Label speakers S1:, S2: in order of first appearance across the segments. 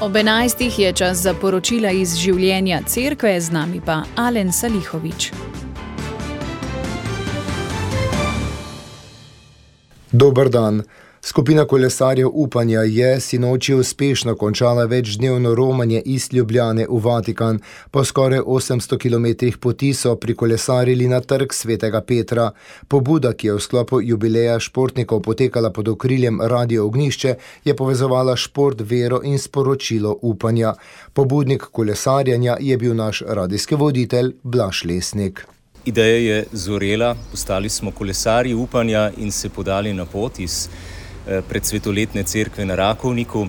S1: Ob 11. je čas za poročila iz življenja cerkve, z nami pa Alen Salihovič.
S2: Dober dan. Skupina kolesarjev Upanja je sinoči uspešno končala večdnevno romanje iz Ljubljane v Vatikan. Po skoraj 800 km poti so prikolesarili na trg Svetega Petra. Pobuda, ki je v sklopu jubileja športnikov potekala pod okriljem Radio Ognjišče, je povezovala šport, vero in sporočilo upanja. Pobudnik kolesarjanja je bil naš radijski voditelj Blaž Lesnik.
S3: Ideja je zorela, postali smo kolesarji upanja in se podali na pot iz predsvetoletne cerkve na Rakovniku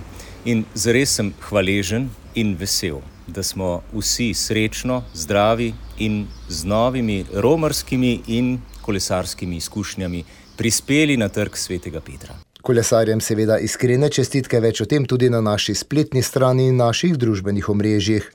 S3: in zares sem hvaležen in vesel, da smo vsi srečno, zdravi in z novimi romarskimi in kolesarskimi izkušnjami prispeli na trg Svetega Petra.
S2: Kolesarjem seveda iskrene čestitke, več o tem tudi na naši spletni strani in naših družbenih omrežjih.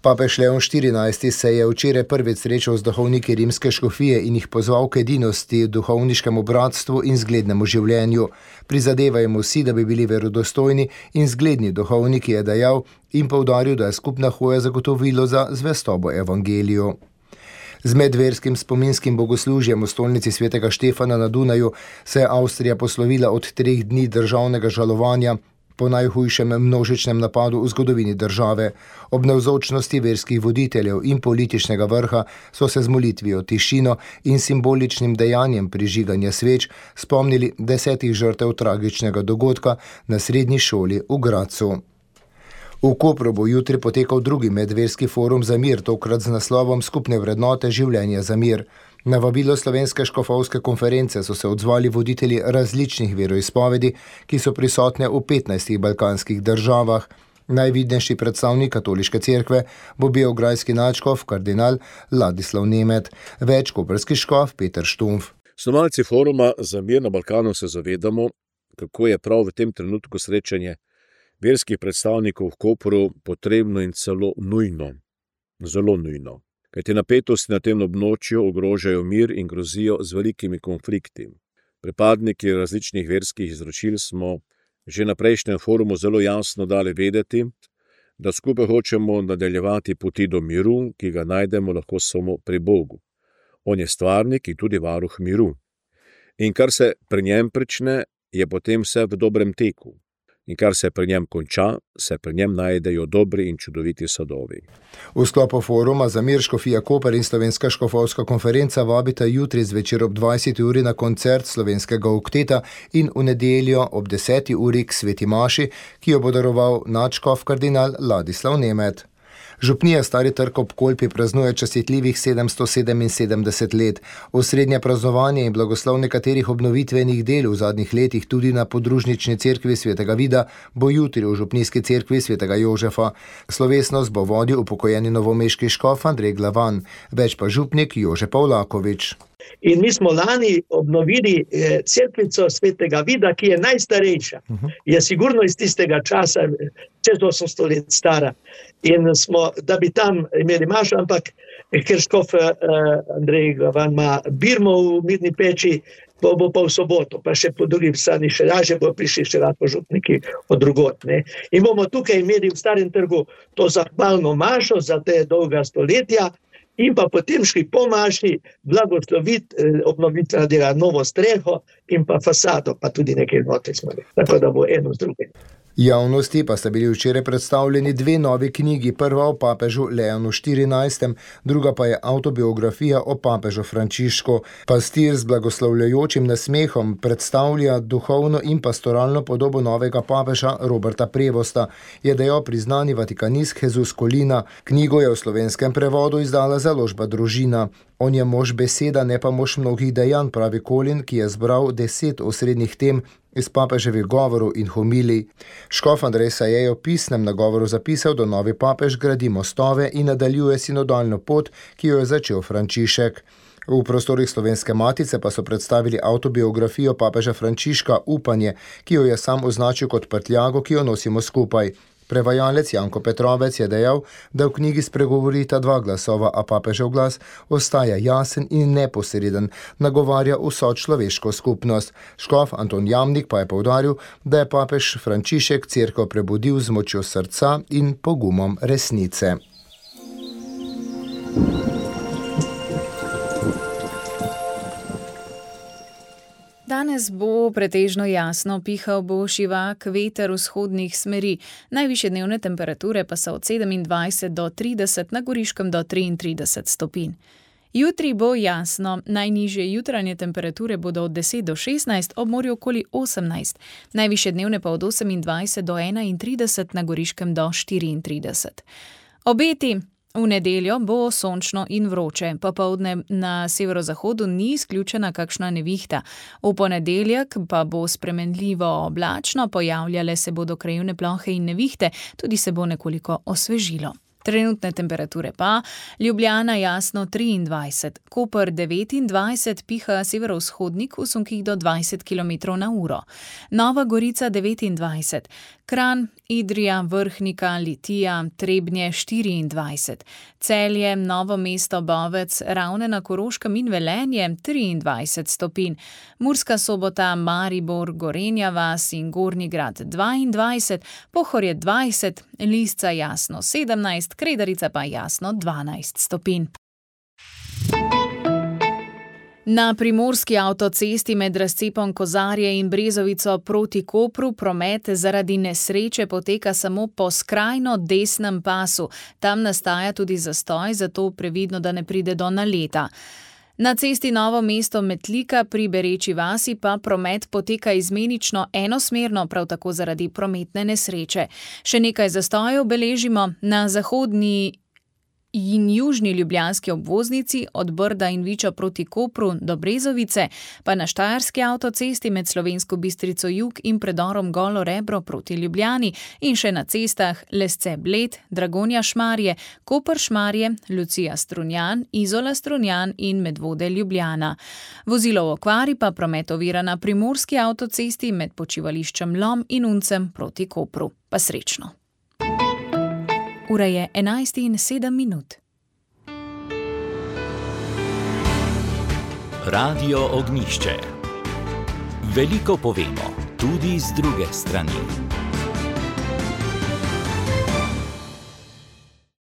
S2: Papež Leon XIV se je včeraj prvič srečal z duhovniki rimske škofije in jih pozval k edinosti, duhovniškemu bratstvu in zglednemu življenju. Prizadevajmo si, da bi bili verodostojni in zgledni duhovniki, je dejal in poudaril, da je skupna hoja zagotovilo za zvestobo evangeliju. Z medverskim spominskim bogoslužjem v stolnici Svetega Štefana na Dunaju se je Avstrija poslovila od 3 dni državnega žalovanja po najhujšem množičnem napadu v zgodovini države. Ob navzočnosti verskih voditeljev in političnega vrha so se z molitvijo, tišino in simboličnim dejanjem prižiganja sveč spomnili 10 žrtev tragičnega dogodka na srednji šoli v Gradcu. V Kopru bo jutri potekal drugi medverski forum za mir, tokrat z naslovom Skupne vrednote življenja za mir. Na vabilo Slovenske škofovske konference so se odzvali voditelji različnih veroizpovedi, ki so prisotne v 15 balkanskih državah. Najvidnejši predstavnik katoliške cerkve bo beograjski nadškof kardinal Ladislav Nemet, več koprski škof Peter Štumf.
S4: Snovalci foruma za mir na Balkanu se zavedamo, kako je prav v tem trenutku srečanje verskih predstavnikov v Kopru potrebno in celo nujno, zelo nujno. Kajti napetosti na tem območju ogrožajo mir in grozijo z velikimi konflikti. Pripadniki različnih verskih izročil smo že na prejšnjem forumu zelo jasno dali vedeti, da skupaj hočemo nadaljevati poti do miru, ki ga najdemo lahko samo pri Bogu. On je stvarnik in tudi varuh miru. In kar se pri njem prične, je potem vse v dobrem teku. In kar se pri njem konča, se pri njem najdejo dobri in čudoviti sadovi.
S2: V sklopu foruma za mir škofija Koper in Slovenska škofovska konferenca vabita jutri zvečer ob 20. uri na koncert slovenskega okteta in v nedeljo ob 10. uri k sveti maši, ki jo bo daroval nadškof kardinal Ladislav Nemet. Župnija Stari Trg ob Kolpi praznuje častitljivih 777 let. Osrednje praznovanje in blagoslov nekaterih obnovitvenih del v zadnjih letih tudi na podružnični cerkvi Svetega Vida bo jutri v župnijski cerkvi Svetega Jožefa. Slovesnost bo vodil upokojeni novomeški škof Andrej Glavan, več pa župnik Jože Pavlakovič.
S5: In mi smo lani obnovili cerkvico Svetega Vida, ki je najstarejša. Je sigurno iz tistega časa, čez 800 let stara. In smo, da bi tam imeli mašo, ampak ker škof Andrej Glavan ima birmo v Mirni Peči, bo pa v soboto, pa še po drugi strani še lažje bo prišli še lahko župniki od drugot. In bomo tukaj imeli v Starem Trgu to zahvalno mašo za te dolga stoletja, in pa potem šli po maši blagosloviti obnovitvena dela, novo streho in pa fasado, pa tudi nekaj notri smo. Tako da bo eno z drugim.
S2: Javnosti pa sta bili včeraj predstavljeni 2 novi knjigi, prva o papežu Leonu XIV, druga pa je avtobiografija o papežu Frančišku. Pastir z blagoslovljajočim nasmehom predstavlja duhovno in pastoralno podobo novega papeža Roberta Prevosta, je dejal priznani vatikanist Jesus Kolina. Knjigo je v slovenskem prevodu izdala založba Družina. On je mož beseda, ne pa mož mnogih dejanj, pravi Kolin, ki je zbral 10 osrednjih tem iz papeževih govorov in homilij. Škof Andrej se je v pisnem nagovoru zapisal, da novi papež gradi mostove in nadaljuje sinodalno pot, ki jo je začel Frančišek. V prostorih Slovenske matice pa so predstavili avtobiografijo papeža Frančiška Upanje, ki jo je sam označil kot prtljago, ki jo nosimo skupaj. Prevajalec Janko Petrovec je dejal, da v knjigi spregovorita dva glasova, a papežev glas ostaja jasen in neposreden, nagovarja vso človeško skupnost. Škof Anton Jamnik pa je poudaril, da je papež Frančišek cerkev prebudil z močjo srca in pogumom resnice.
S1: Danes bo pretežno jasno, pihal bo šivak veter vzhodnih smeri. Najvišje dnevne temperature pa so od 27 do 30, na Goriškem do 33 stopinj. Jutri bo jasno, najnižje jutranje temperature bodo od 10 do 16, ob morju okoli 18, najvišje dnevne pa od 28 do 31, na Goriškem do 34. Obeti. V nedeljo bo sončno in vroče, popoldne na severozahodu ni izključena kakšna nevihta. V ponedeljek pa bo spremenljivo oblačno, pojavljale se bodo krajevne plohe in nevihte, tudi se bo nekoliko osvežilo. Trenutne temperature pa: Ljubljana jasno 23, Koper 29, piha severovzhodnik v sunkih do 20 km/h, Nova Gorica 29, Kranj, Idrija, Vrhnika, Litija, Trebnje 24, Celje, Novo mesto, Bovec, Ravne na Koroškem in Velenje 23 stopinj, Murska Sobota, Maribor, Gorenja vas in Gornji Grad 22, Pohorje 20, Lisca jasno 17, Kredarica pa jasno 12 stopinj. Na primorski avtocesti med razcepom Kozarje in Brezovico proti Kopru promet zaradi nesreče poteka samo po skrajno desnem pasu. Tam nastaja tudi zastoj, zato previdno, da ne pride do naleta. Na cesti Novo mesto-Metlika pri Bereči vasi pa promet poteka izmenično enosmerno, prav tako zaradi prometne nesreče. Še nekaj zastojev beležimo na zahodni in južni ljubljanski obvoznici od Brda in Viča proti Kopru do Brezovice, pa na štajerski avtocesti med Slovensko Bistrico jug in predorom Golo Rebro proti Ljubljani in še na cestah Lesce-Bled, Dragonja-Šmarje, Koper-Šmarje, Lucija-Strunjan, Izola-Strunjan in Medvode-Ljubljana. Vozilo v okvari pa promet ovira na primorski avtocesti med počivališčem Lom in Uncem proti Kopru. Pa srečno! Ura je 11:07.
S6: Radio Ognjišče. Veliko povemo, tudi z druge strani.